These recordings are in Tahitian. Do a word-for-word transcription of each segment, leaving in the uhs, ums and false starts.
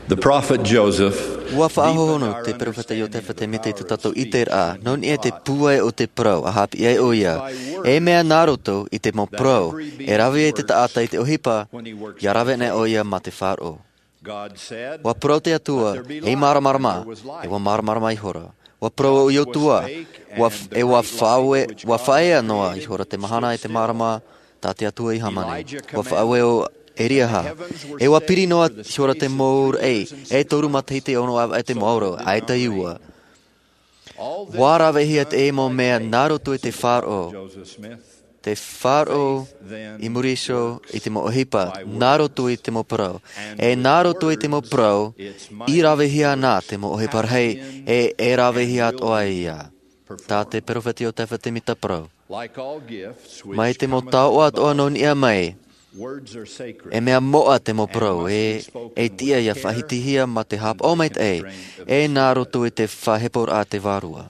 The prophet Joseph, ua faʻahohonu te peropheta Iotefa Semita i tō tātou ʻiteraʻa, nō niʻa i te pūai o te parau, a haʻapiʻi ai ʻoia, e mea nā roto i te mau parau, e rave ai te taʻata i te ʻohipa, ʻia rave anaʻe ʻoia mā te faʻaroʻo. Ua parau te Atua, e māramarama, e ua māramarama ihora. Ua parau ʻo Iosua, ua f-, e ua faʻaue-, ua faʻaea noa ihora te mahana e te mārama, tā te Atua i hāmani. Ua faʻaue ʻo Eliaha. E ua piri noa ihora te mau raʻi, e toru matahiti e ono ʻāvaʻe te mau ʻauro, ʻaita i ua. Ua ravehia te mau mea nā roto i te faʻaroʻo. Te faʻaroʻo i muri iho i te mau ʻohipa, nā roto i te mau parau. E nā roto i te mau parau, i ravehia ana te mau ʻohipa rahi, e, e ravehia atoʻa ia. Tā te peropheta Iotefa Semita parau. Mai te mau taoʻa atoʻa nō niʻa mai, e mea moʻa te mau parau, e, e tiʻa ʻia faʻahitihia mā te haʻapaʻo maitaʻi, e nā roto i te faʻaheporaʻa a te Vārua.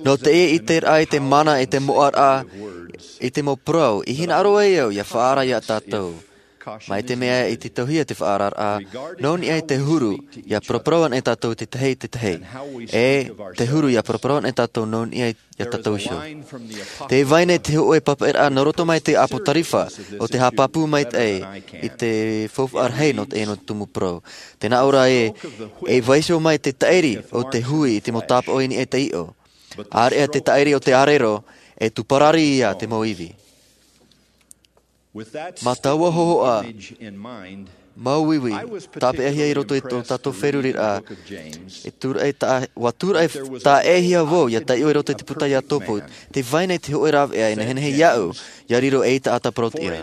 Nō teie ʻiteraʻa i te mana e te moʻaraʻa i te mau parau, i hinaʻaro ai au ʻia faʻaara ia tātou. Mai te mea i tītauhia te faʻaararaʻa, nō niʻa i te huru, ʻia paraparau anaʻe tātou i te tahi i te tahi. E te huru ʻia paraparau anaʻe tātou nō niʻa i, ia tātou iho. Tē vai nei te hōʻē papaʻiraʻa nō roto mai te ʻApotarifa, ʻo te haʻapāpū maitaʻi i te faufaʻa rahi nō te, nō te tumu parau. Tē nā ʻō ra ē, e vaiiho mai te taʻiri o te hui i te mau tāpaʻo i niʻa i te iʻo. ʻĀreʻa te taʻiri o te ʻārero, e tū parari ia te mau ivi. Mā taua hōhoʻa, māuiui, tāpeʻahia i roto i tō tātou feruriraʻa, e tūraʻi tā-, ua tūraʻi tāʻēhia vau, ʻia taiʻo i roto i te puta Iakobo, tē vai nei te hōʻē rāveʻa e nehenehe iāʻu, ʻia riro ei taʻata parauʻtiʻa.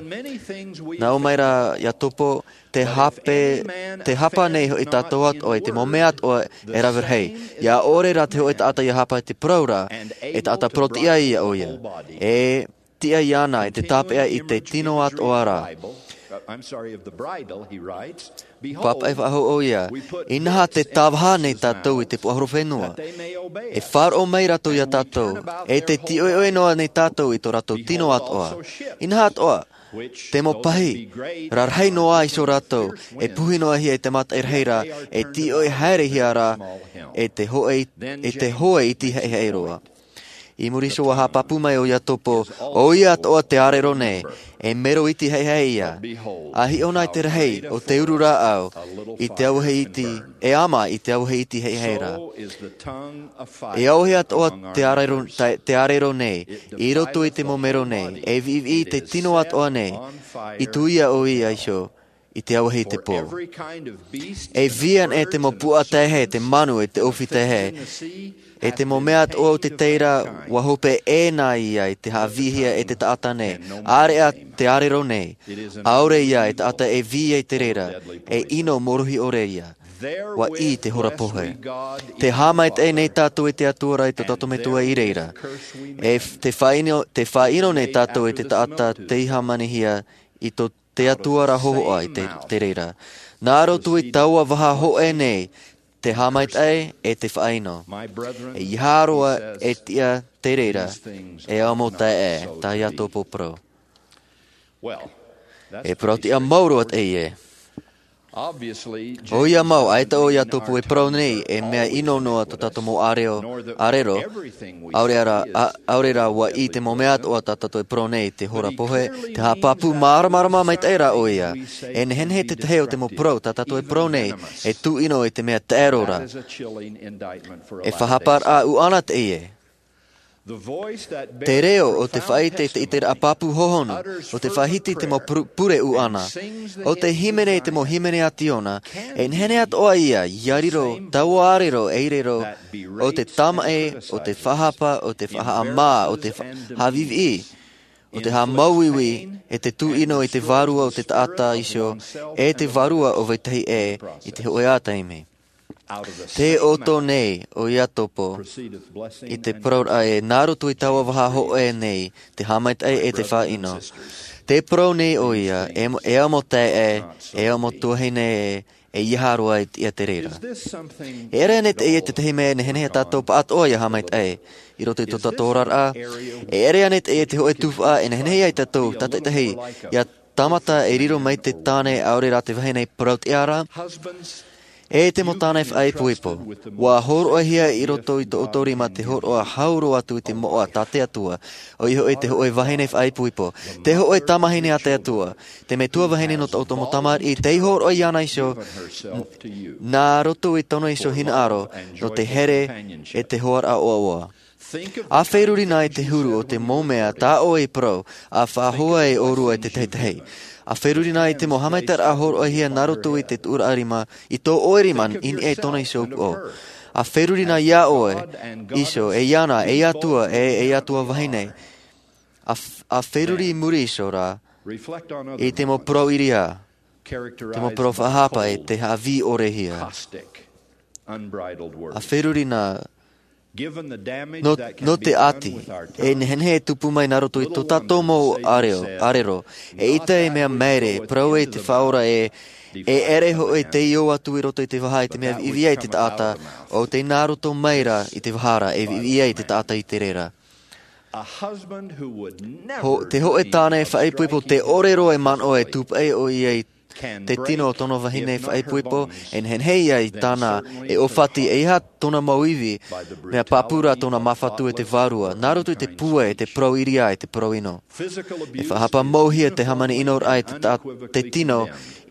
Nā ʻō mai ra Iakobo, te hape, tē hapa nei hoʻi tātou atoʻa i te mau mea atoʻa e rave rahi. ʻIa ʻore rā te hōʻē taʻata ʻia hapa i te parau ra, e taʻata parauʻtiʻa ia ʻoia. E tiʻa iāna i te tāpeʻa i te tino atoʻa ra. Papaʻi faʻahou ʻoia, inaha tē tāvaha nei tātou i te puaʻahorofenua. E faʻaroʻo mai rātou ia tātou, e tē tīʻoiʻoi noa nei tātou i tō rātou tino atoʻa. Inaha atoʻa, te mau pahi, rarahi noa iho rātou, e puhi noa hia i te mataʻi rahi ra, e tīʻoi haerehia ra, e te hōʻē, e te hōʻē iti haʻehaʻe roa. I muri iho ua haʻapāpū mai ʻo Iakobo, ʻoia atoʻa tē ʻārero nei, e mero iti haʻehaʻe ia. ʻA hiʻo na i te rahi o te uru rāʻau, i te auahi iti, e ama i te auahi iti haʻehaʻe ra. E auahi atoʻa tē ʻārero, tē, tē ʻārero nei, i roto i te mau mero nei, e viʻiviʻi i te tino atoʻa nei, i tuia ʻoia iho, i te auahi i te pō. E vī anaʻe te mau puaʻa taehae, te manu e te ʻōfī taehae, e te mau mea atoʻa o te tahi ra, ua hope ʻē na ia i te haʻavīhia e te taʻata nei. ʻĀreʻa tē ʻārero nei, ʻaore ia e taʻata e vī ai i te reira, e ʻino mōrohi ʻore ia. Ua ʻī te hora pohe. Tē haʻamaitaʻi nei tātou i te Atua ra i tō tātou Metua i reira. E f-, tē faʻaʻino, tē faʻaʻino nei tātou i te taʻata tei hāmanihia i tō te Atua ra hōhoʻa i te, te reira. Nā roto i taua vaha hōʻē nei, tē haʻamaitaʻi e tē faʻaʻino. E ʻeiaha roa e tiʻa te reira, e ao mau taeaʻe, tā Iakobo parau. E parauʻtiʻa mau roa teie. ʻOia mau, ʻaita ʻo Iakobo e parau nei, e mea ʻino noa tō tātou mau ʻārero, ʻārero, ʻaore ra, a, ʻaore ra ua ʻī te mau mea atoʻa tā tātou e parau nei, te hora pohe, te haʻapāpū māramarama maitaʻi rā ʻoia. E nehenehe te tahi o te mau parau tā tātou e parau nei, e tūʻino i te mea taʻero ra. E faʻahaparaʻa ʻuʻana teie. Te reo o te faʻaʻite, te ʻiteraʻa pāpū hohonu, ʻo te faʻahiti i te mau pure, pure ʻuʻana, ʻo te hīmene i te mau hīmene a Tīona, e nehenehe atoʻa ia, ʻia riro taua ʻārero ei reo, ʻo te tamaʻi, ʻo te faʻahapa, ʻo te faʻahaʻamā, ʻo te fa-, haʻaviʻiviʻi, ʻo te haʻamāuiui, e te tūʻino i te vārua o te taʻata iho, e te vārua o vetahi ʻē, i te hōʻē taime. Tē ʻoto nei ʻo Iakobo i te parauraʻa ē, nā roto i taua vaha hōʻē nei, te haʻamaitaʻi e te faʻaʻino. Tē parau nei ʻoia, e mo-, e au mau taeaʻe, e au mau tuahine ē, e ʻeiaha roa e tiʻa te reira. E ʻere ānei teie te tahi mea e nehenehe tātou pāʻatoʻa ʻia haʻamaitaʻi i roto i tō tātou oraraʻa? E ʻere ānei teie te hōʻē tuhaʻa e nehenehe ai tātou tātaʻitahi ʻia tāmata e riro mai te tāne, ʻaore rā te vahine parau tiʻa ra. E te mau tāne faʻaipoipo, ua hōroʻahia i roto i tō ʻoutou rima te hōroʻa hau roa atu i te moʻa tā te Atua, ʻoia hoʻi te hōʻē vahine faʻaipoipo, te hōʻē tamahine a te Atua, te metua vahine nō tō ʻoutou mau tamariʻi, tei hōroʻa iāna iho, nā roto i tōna iho hinaʻaro, nō te here e te hoaraʻa ʻoaʻoa. ʻA feruri na i te huru o te mau mea tā ʻoe i parau, ʻa faʻahoa e ʻōrua e te tahi tahi. ʻA feruri na i te mau haʻamaitaʻiraʻa hōroʻahia nā roto i te tuʻuraʻa rima, i tō ʻoe rima i niʻa i tōna iho upoʻo. ʻA feruri na iā ʻoe iho, e iāna, e atua, e, e atua vahine. ʻA f-, ʻa feruri i muri iho ra, i te mau parau ʻiriā, te mau parau faʻahapa e te haʻavī ʻorehia. ʻA feruri na, nō, nō te ʻati, e nehenehe e tupu mai nā roto i tō tātou mau ʻārero, ʻārero, eʻita e mea maere, parau e te Faʻaora ē, e ʻere hoʻi tei ō atu i roto i te vaha i te mea viʻiviʻi ai te taʻata, ʻo tei nā roto mai ra i te vaha ra, e viʻiviʻi ai te taʻata i te reira. Ho-, te hōʻē tāne faʻaipoipo tē ʻore roa e manaʻo e tūpaʻi ʻoia i te tino o tōna vahine faʻaipoipo, e nehenehe ia i tāna e ʻōfati, ʻeiaha tōna mau ivi, mea pāpū ra tōna māfatu e te Vārua, nā roto i te pūai, e te parau ʻiriā, e te parau ʻino. E faʻahapa mauhia te hāmani ʻino raʻa e te ta-, te tino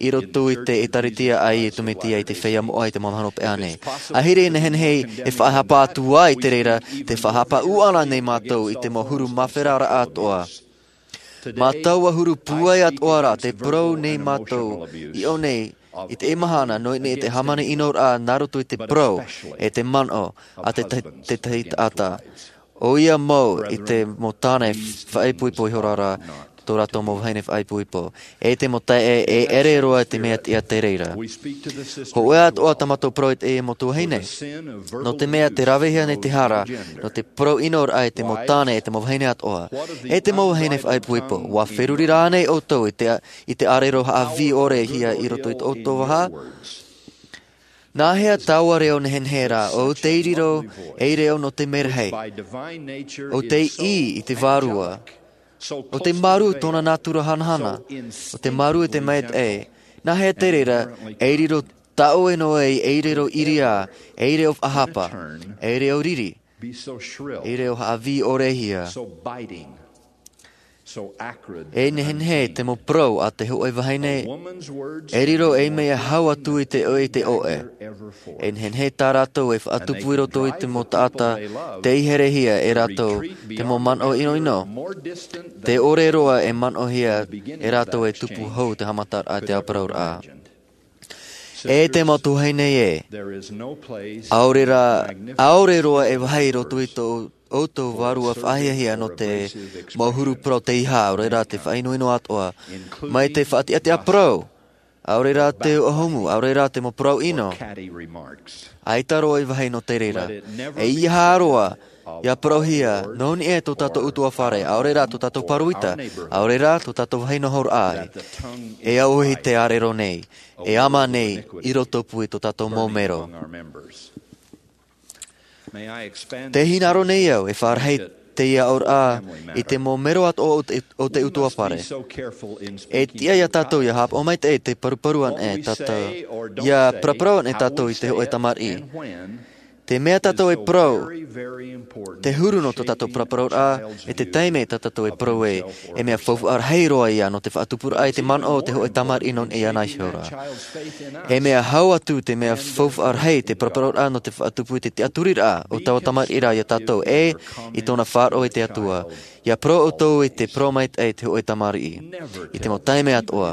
i roto i te ʻĒtārētia a Iesu Mesia i te feiā moʻa i te mau mahana hopeʻa nei. ʻAhiri e nehenehe e faʻahapa atu ai te reira, tē faʻahapa ʻūʻana nei mātou i te mau huru māferaraʻa atoʻa. Mā taua huru pūai atoʻa ra, tē parau nei mātou i ʻō nei, i teie mahana, nō niʻa i te hāmani ʻino raʻa nā roto i te parau, e te manaʻo, a te ta-, te tahi taʻata. ʻOia mau i te mau tāne faʻaipoipo ihora ra, tō rātou mau vahine faʻaipoipo. E te mau taeaʻe, e ʻere roa te mea tiʻa te reira. Hōʻē atoʻa tā mātou parau i te mau tuahine. Nō te mea tē ravehia nei te hara, nō te parau ʻino raʻa e te mau tāne, e te mau vahine atoʻa. E te mau vahine faʻaipoipo, ʻua feruri rānei ʻoutou i te, i te ʻārero haʻavī ʻorehia i roto i tō ʻoutou vaha? Nāhea taua reo nehenehe ra, ʻo tei riro ei reo nō te merahi, ʻo tei ʻī i te Vārua, ʻo tei māru tōna nātura hanahana, ʻo tei māru i te maitaʻi, nāhea te reira, ei riro taʻoe noa ei, ei reo ʻiriā, ei reo faʻahapa, ei reo riri, ei reo haʻavī ʻorehia. E nehenehe te mau parau a te hōʻē vahine, e riro ei mea hau atu i te ʻoe, i te ʻoe. E nehenehe tā rātou e faʻatupu i roto i te mau taʻata, tei herehia e rātou te mau manaʻo ʻinoʻino. Tē ʻore roa e manaʻohia e rātou e tupu hou te haʻamataraʻa, te ʻāparauraʻa. E te mau tuahine ē, ʻaore rā, ʻaore roa e vāhi i roto i tō ʻoutou vārua faʻahiahia nō te mau huru parau teiaha, ʻaore rā te faʻaʻinoʻino atoʻa, mai te faʻatiʻatiʻa parau, ʻaore rā te ʻōhumu, ʻaore rā te mau parau ʻino. ʻAita roa e vāhi nō te reira. ʻEiaha roa, ʻia parauhia, nō niʻa i tō tātou ʻutuāfare, ʻaore rā tō tātou pāroita, ʻaore rā tō tātou vāhi noho ra ē. E auahi te ʻārero nei, e ama nei, i rotopū i tō tātou mau mero. Tē hinaʻaro nei au, e faʻarahi teie aʻoraʻa, i te mau mero atoʻa o te, o te ʻutuāfare. E tiʻa iā tātou, ʻia haʻapaʻo maitaʻi te paruparu anaʻe tātou, ʻia paraparau anaʻe tātou i te hōʻē tamariʻi. Te mea tātou e parau, te huru nō tō tātou paraparauraʻa, e te taime tā tātou e parau ē, e mea faufaʻa rahi roa ia nō te faʻatupuraʻa i te manaʻo o te hōʻē tamariʻi nō niʻa iāna iho ra. E mea hau atu te mea faufaʻa rahi te paraparauraʻa nō te faʻatupu i te tiʻaturiraʻa o taua tamariʻi ra iā tātou, ʻe, i tōna faʻaroʻo i te Atua. ʻIa parau ʻoutou i te parau maitaʻi i te hōʻē tamariʻi. I te mau taime atoʻa.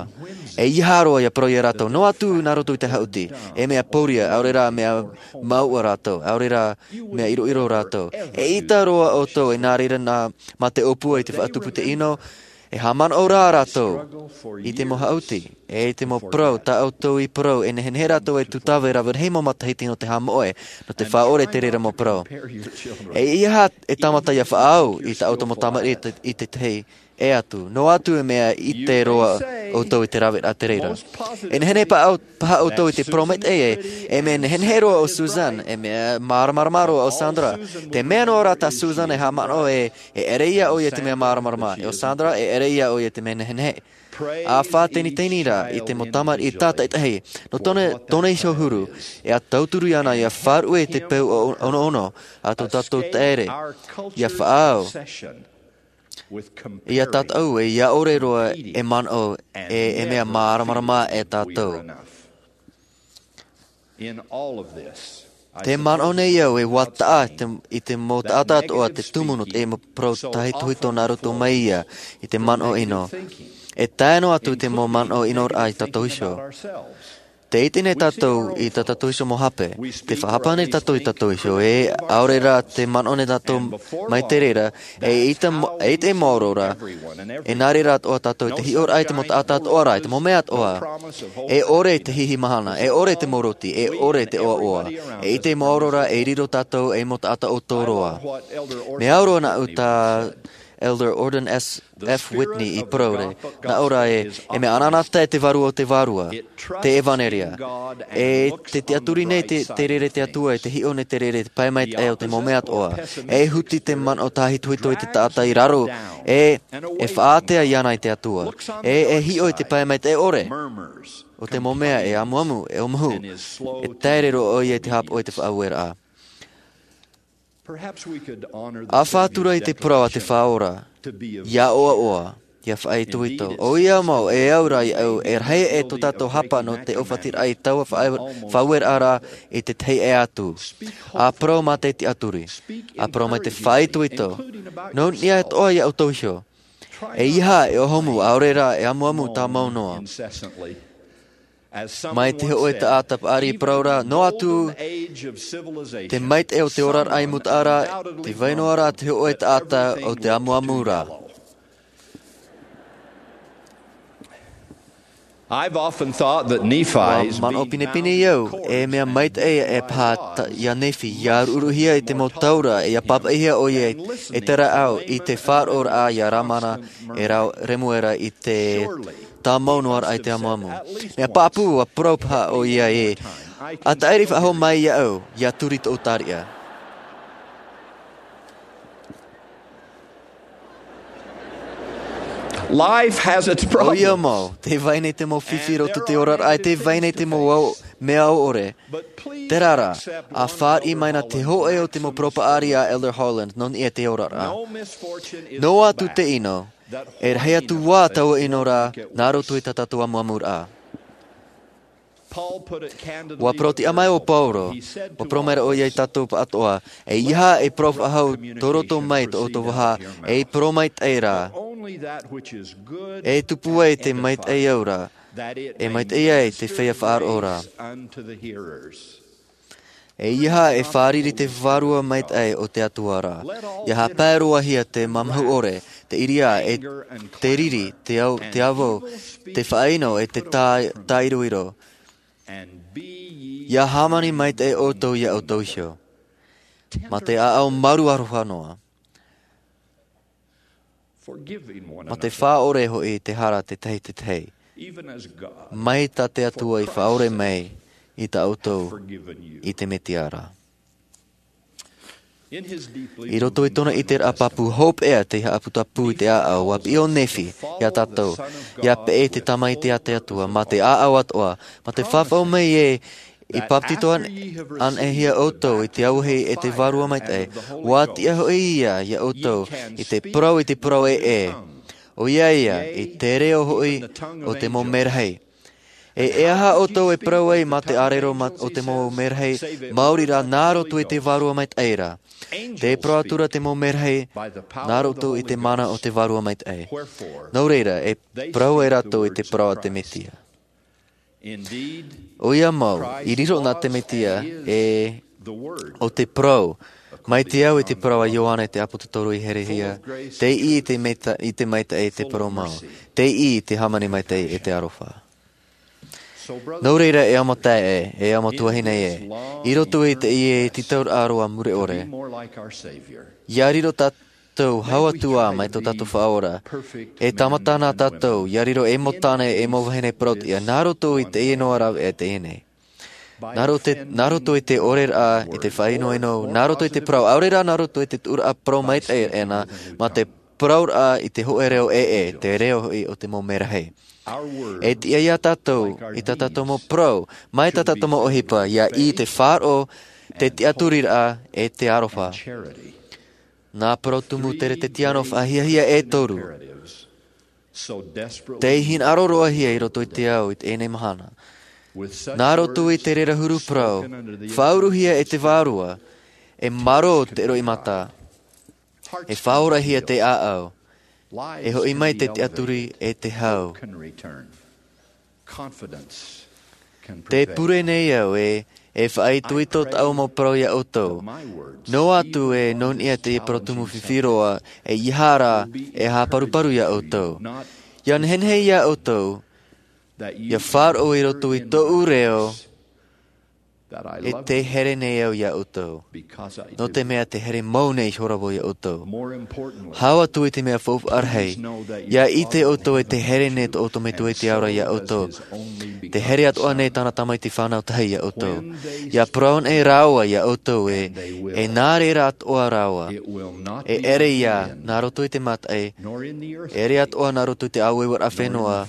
ʻEiaha roa ʻia parau iā rātou, noa atu nā roto i te haʻuti, e mea pōria, ʻaore rā mea mauʻa rātou, ʻaore rā mea ʻiroʻiro rātou. ʻEita roa ʻoutou, e nā reira nā, mā te ʻōpua i te faʻatupu i te ʻino, e haʻamanaʻo rā rātou i te mau haʻuti, e i te mau parau, tā ʻoutou i parau, e nehenehe rātou e tūtave rave rahi mau matahiti nō te haʻamoʻe, nō te faʻaʻore te reira mau parau. ʻEiaha e tāmata ʻia faʻaau i tā ʻoutou mau tamariʻi i te, i te tahi, ʻē atu, noa atu e mea ʻite roa ʻoutou i te raveraʻa te reira. E nehenehe paha ʻou-, paha ʻoutou i te parau maitaʻi ē, e mea nehenehe roa ʻo Susan, e mea māramarama roa ʻo Sandra. Te mea noa rā tā Susan e haʻamanaʻo ē, e ʻere ia ʻoia i te mea māramarama, ʻe ʻo Sandra, e ʻere ia ʻoia i te mea nehenehe. A faʻateniteni rā i te mau tamariʻi tātaʻitahi nō tōna, tōna iho huru, e a tauturu iāna ia faʻaruʻe i te peu o, onoono a tō tātou taere, ia faʻaau, ia tātaʻu, e ia ʻore roa e manaʻo, e, e mea māramarama e tātou. Te manaʻo nei au e ua taʻa te, i te mau taʻata atoʻa te tumu nō te mau parau tāhitohito nā roto mai ia i te manaʻo ʻino. E tae noa atu i te mau manaʻo ʻinoraʻa i tātou iho. Te ʻite nei tātou i tā tātou iho mau hape. Te faʻahapa nei tātou i tātou iho, e ʻaore rā te manaʻo nei tātou mai te reira, e ʻite mo-, e ʻite maoro rā, e nā reira atoʻa tātou i te hiʻoraʻa i te mau taʻata atoʻa rā, i te mau mea atoʻa. E ʻore te hihi mahana, e ʻore te mau roti, e ʻore te ʻoaʻoa. E ʻite maoro rā, e riro tātou ei mau taʻata ʻoutou roa. Mea au roa nāʻu tā Elder Gordon S. F. Whitney i parau ra, nā ʻō ra ē, e mea anaanatae te vārua o te vārua, te ʻevanelia. E te tiʻaturi nei te, te reira te Atua, e te hiʻo nei te reira, te pae maitaʻi o te mau mea atoʻa. E huti te manaʻo tāhitohito i te taʻata i raro, e, e faʻaātea iāna i te Atua. E, e hiʻo i te pae maitaʻi ʻore o te mau mea e amuamu, e ʻōmuhu, e taere roa ʻoia i te haʻapaʻo i te faʻaueraʻa. A faʻatura i te parau a te Faʻaora, ia ʻoaʻoa, ia faʻaitoito. ʻOia mau, e au rā iāʻu, e rahi e tō tātou hapa nō te ʻōfatiraʻa i taua faʻa-, faʻaueraʻa ra i te tahi ʻē atu. A parau mā te tiʻaturi. A parau mai te faʻaitoito. Nō niʻa atoʻa ia ʻoutou iho. E ʻeiaha e ʻōmuhu, ʻaore rā e amuamu tāmau noa. Mai te hōʻē taʻata paʻari i parau ra, noa atu te maitaʻi o te oraraʻa i mūtaʻa ra, tē vai noa ra te hōʻē taʻata o te amuamu ra. I've often thought that Nephi's Ua manaʻo pinepine au, e mea maitaʻi e paha ta-, ia Nephi, ia ruʻuruʻuhia i te mau taura, e ia pāpaʻihia ʻoia i te rāʻau i te faʻaroʻoraʻa ia Lamana e rā Remuera i te tāmau noa raʻa i te amuamu. Mea pāpū, ua parau paha ʻoia ē, ʻa taʻiri faʻahou mai iāʻu, ia turi tōʻu tariʻa. Life has its problems. ʻOia mau, tē vai nei te mau fifi i roto i te oraraʻa, e tē vai nei te mau au, mea au ʻore. Terā rā, ʻa fāriʻi mai na te hōʻē o te mau parau paʻari a Elder Holland, nō niʻa i te oraraʻa. Noa atu te ʻino, e rahi atu ā taua ʻino ra, nā roto i tā tātou amuamuraʻa. Ua parau tiʻa mai ʻo Paulo, ua parau mai ra ʻoia ia tātou pāʻatoʻa, ʻeiaha e parau faʻahou tō roto mai tō ʻoutou vaha, e parau maitaʻi rā. E tupu ai te maitaʻi aura, e maitaʻi ai te feiā faʻaroʻo ra. ʻEiaha e fārerei te Vārua Maitaʻi o te Atua ra. ʻIa haʻapae roa hia te mamahu ʻore, te ʻiriā, e te riri, te au-, te avo, te faʻaʻino, e te tā-, tāiroiro. ʻIa hāmani maitaʻi ʻoutou ia ʻoutou iho. Mā te ʻāʻau maru aroha noa. Mā te faʻaʻore hoʻi te hara te tahi te tahi. Mai tā te Atua i faʻaʻore mai i tā ʻoutou i te Mesia ra. I roto i tōna ʻiteraʻa pāpū hopeʻa te haʻaputapū i te ʻāʻau, ua piʻi ʻo Nephi ia tātou, ia peʻe i te Tamaiti a te Atua, mā te ʻāʻau atoʻa, mā te fafau mai ē, i bāpetizo an-, anaʻe hia ʻoutou i te auahi e te Vārua Maitaʻi, ua tiʻa hoʻi ia ia ʻoutou i te parau, i te parau ē, ē. ʻOia ia, i te reo hoʻi o te mau merahi. E, e aha ʻoutou e parau ai mā te ʻārero ma-, o te mau merahi, maori rā nā roto i te Vārua Maitaʻi ra. Tē parau atu ra te mau merahi, nā roto i te mana o te Vārua Maitaʻi. Nō reira, e parau ai rātou i te parau a te Mesia. ʻOia mau, i riro na te Mesia, e, ʻo te parau. Mai te au i te parau a Ioane te ʻāpōsetolo i herehia, tei ʻī i te maita-, i te maitaʻi te parau mau. Tei ʻī i te hāmani maitaʻi e te aroha. Nō reira e ʻaita e, e ʻaita tuahine e, i roto i teie tītauraʻa roa mure ʻore. ʻIa riro tātou hau atu ā mai tō tātou Faʻaora. E tāmata na tātou, ʻia riro ei mau tāne, ei mau vahine parauʻtiʻa, nā roto i teie noa rāveʻa teie nei. Nā roto te, nā roto i te ʻoreraʻa, i te faʻaʻinoʻino, nā roto i te parau, ʻaore rā nā roto i te tuʻuraʻa parau maitaʻi ʻana, mā te parauraʻa i te hōʻē reo ʻē, te reo hoʻi o te mau merahi. E tiʻa iā tātou, i tā tātou mau parau, mai tā tātou mau ʻohipa, ia ʻī te faʻaroʻo, te tiʻaturiraʻa, e te aroha. Nā parau tumu teretetiano faʻahiahia e toru. Tei hinaʻaro roa hia i roto i te ao i teie mahana. Nā roto i te reira huru parau, faʻauruhia e te vārua, e marō te roimata, e faʻaorahia te ʻāʻau, e hoʻi mai te tiʻaturi e te hau. Te pure nei au e, e faʻaitoito tāʻu mau parau iā ʻoutou. Noa atu e nō niʻa te parau tumu fifi roa, e ia hara, e haparuparu iā ʻoutou. Ia nehenehe iā ʻoutou, ia faʻaroʻo i roto i tōʻu reo, e te here nei au iā ʻoutou. Nō te mea te here mau nei ihora vau iā ʻoutou. Hau atu i te mea faufaʻa rahi, ia ʻite ʻoutou e te here nei tō ʻoutou metua i te ao ra iā ʻoutou. Te here atoʻa nei tāna tamaiti fānau tahi iā ʻoutou. Ia parau nei rāua iā ʻoutou e, e nā reira atoʻa rāua. E ʻere ia, nā roto i te mataʻi, e ʻere atoʻa nā roto i te ʻāueueraʻa fenua,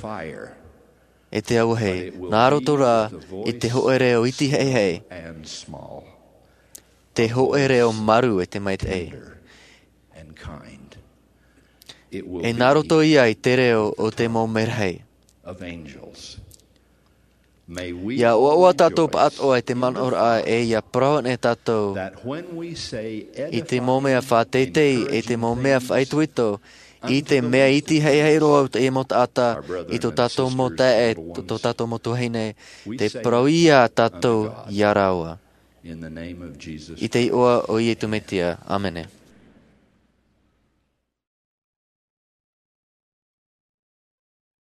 e te auahi, nā roto rā i te hōʻē reo iti haʻehaʻe, te hōʻē reo maru e te maitaʻi. E nā roto ia i te reo o te mau merahi. Ia ʻoaʻoa tātou pāʻatoʻa i te manaʻoraʻa e ia parau nei tātou i te mau mea faʻateitei, i te mau mea faʻaitoito, i te mea iti haʻehaʻe roa o teie mau taʻata, i tō tātou mau taeaʻe, tō, tō tātou mau tuahine, te parau iā tātou iā rāua. I te iʻoa o Iesu Mesia. ʻĀmene.